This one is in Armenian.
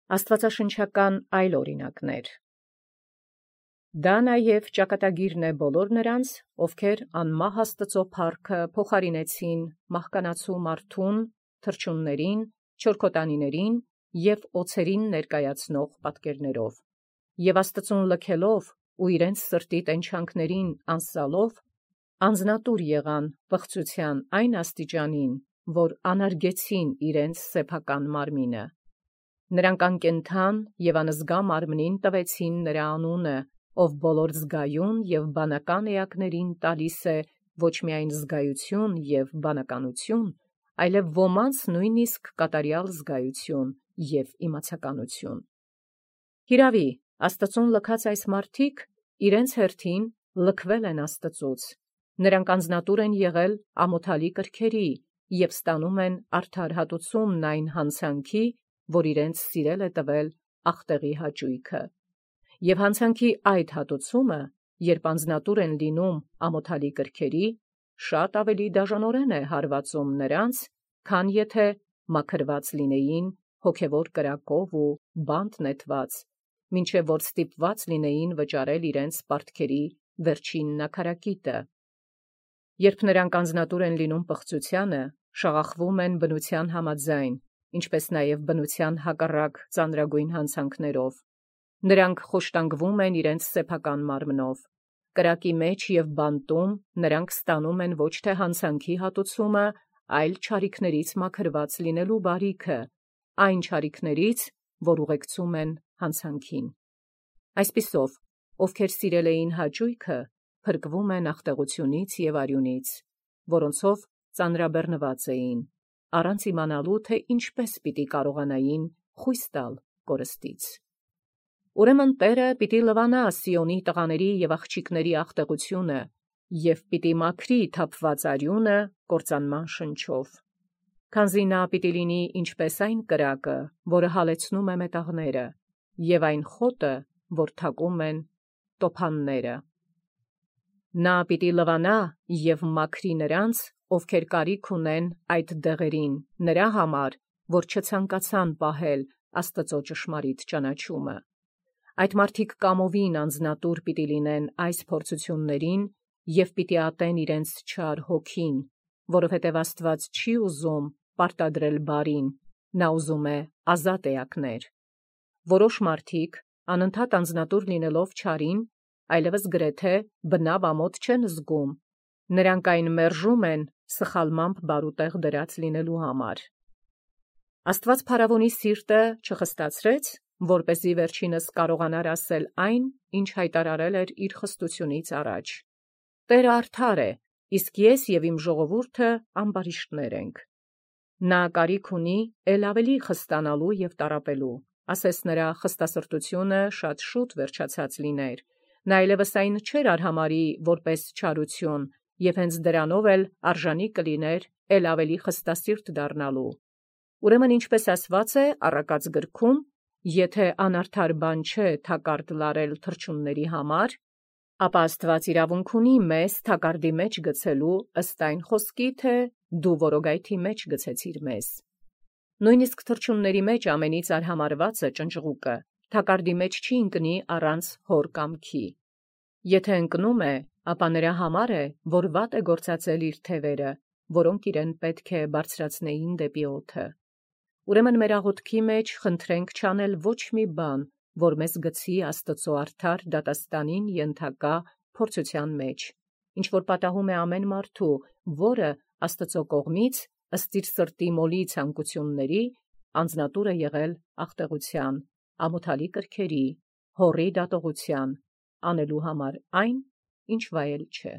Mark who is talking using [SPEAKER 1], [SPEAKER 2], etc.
[SPEAKER 1] Աստուածաշնչական այլ օրինակներ։ Դա նաև ճակատագիրն է բոլոր նրանց, ովքեր անմահ Աստուծոյ փառքը փոխարինեցին մահկանացու մարդուն, թռչուններին, չորքոտանիներին և օձերին ներկայացնող պատկերներով, և Աստուծուն լքելով ու իրենց սրտի տենչանքներին անսալով, անձնատուր եղան պղծութեան այն աստիճանին, որ անարգեցին իրենց սեփական մարմինը։ Նրանք անկենդան և անզգա մարմնին տվեցին նրա անունը, ով բոլոր զգայուն և բանական էակներին տալիս է ոչ միայն զգայություն և բանականություն, այլև ոմանց նույնիսկ կատարյալ զգայություն և իմացականություն։ Հիրավի, Աստուծուն լքած այս մարդիկ իրենց հերթին լքվել են Աստուծուց. նրանք անձնատուր են եղել ամոթալի կրքերի և ստանում են արդար հատուցումն այն հանցանքի, որ իրենց սիրել է տվել ախտեղի հաճույքը։ Եւ հանցանքի այդ հատուցումը, երբ անձնատուր են լինում ամոթալի կրքերի, շատ ավելի դաժանորեն է հարվածում նրանց, քան եթե մաքրված լինեին հոգևոր կրակով ու բանտ նետված, մինչև որ ստիպված լինեին վճարել իրենց պարտքերի վերջին նաքարակիտը։ Երբ նրանք անձնատուր են լինում պղծութեանը, շաղախվում են բնության համաձայն, ինչպես նաև բնության հակառակ ծանրագույն հանցանքներով։ Նրանք խոշտանգվում են իրենց սեփական մարմնով։ Կրակի մեջ և բանտում նրանք ստանում են ոչ թե հանցանքի հատուցումը, այլ չարիքներից մաքրված լինելու բարիքը, այն չարիքներից, որ ուղեկցում են հանցանքին։ Այսպիսով, ովքեր սիրել էին հաճույքը, փրկվում են ախտեղությունից և արյունից, որոնցով ծանրաբեռնված էին, առանց իմանալու, թե ինչպես պիտի կարողանային խույս տալ կորստից։ Ուրեմն Տէրը պիտի լվանա Սիոնի տղաների և աղջիկների ախտեղությունը և պիտի մաքրի թափված արյունը կործանման շնչով, քանզի նա պիտի լինի ինչպես այն կրակը, որը հալեցնում է մետաղները, և այն խոտը, որ թակում են տոփանները։ Նա պիտի լվանա և մաքրի նրանց, ովքեր կարիք ունեն այդ դեղերին, նրա համար, որ չցանկացան պահել Աստուծոյ ճշմարիտ ճանաչումը։ Այդ մարդիկ կամովին անձնատուր պիտի լինեն այս փորձութիւններին և պիտի ատեն իրենց չար հոգին, որովհետև Աստուած չի ուզում պարտադրել բարին, նա ուզում է ազատ էակներ։ Որոշ մարդիկ, անընդհատ անձնատուր լինելով չարին, այլևս գրեթե բնաւ ամոթ չեն զգում, նրանք այն մերժում են սխալմամբ բարուտեղ դրած լինելու համար։ Աստուած փարավոնի սիրտը չխստացրեց, որպեսզի վերջինս կարողանար ասել այն, ինչ հայտարարել էր իր խստությունից առաջ. «Տէրը արդար է, իսկ ես և իմ ժողովուրդը ամբարիշտներ ենք»։ Նա կարիք ունի ել ավելի խստանալու և տառապելու, ասես նրա խստասրտությունը շատ շուտ վերջացած լիներ, նա այլևս այն չէր արհամարհի որպես չարություն, և հենց դրանով էլ արժանի կլիներ ել ավելի խստասիրտ դառնալու։ Ուրեմն ինչպես ասված է առակած գրքում. «Եթե անարդար բան չէ թակարդ լարել թռչունների համար, ապա Աստուած իրավունք ունի մեզ թակարդի մեջ գցելու ըստ այն խոսքի, թե դու որոգայթի մեջ գցեցիր մեզ»։ Նույնիսկ թռչունների մեջ ամենից արհամարհված է ճնճղուկը, թակարդի մեջ չի ընկնի առանց հոր կամքի։ Եթե ընկնում է, ապա նրա համար է, որ վատ է գործածել իր թևերը, որոնք իրեն պետք է բարձրացնեին դեպի օդը։ Ուրեմն մեր աղոթքի մեջ խնդրենք չանել ոչ մի բան, որ մեզ գցի Աստուծոյ արդար դատաստանին ենթակա փորձութեան մեջ, ինչ որ պատահում է ամեն մարդու, որը Աստուծոյ կողմից ըստ իր սրտի մոլի ցանկությունների անձնատուր է եղել ախտեղութեան, ամոթալի կրքերի, հոռի դատողութեան, անելու համար այն, ինչ վայել չէ։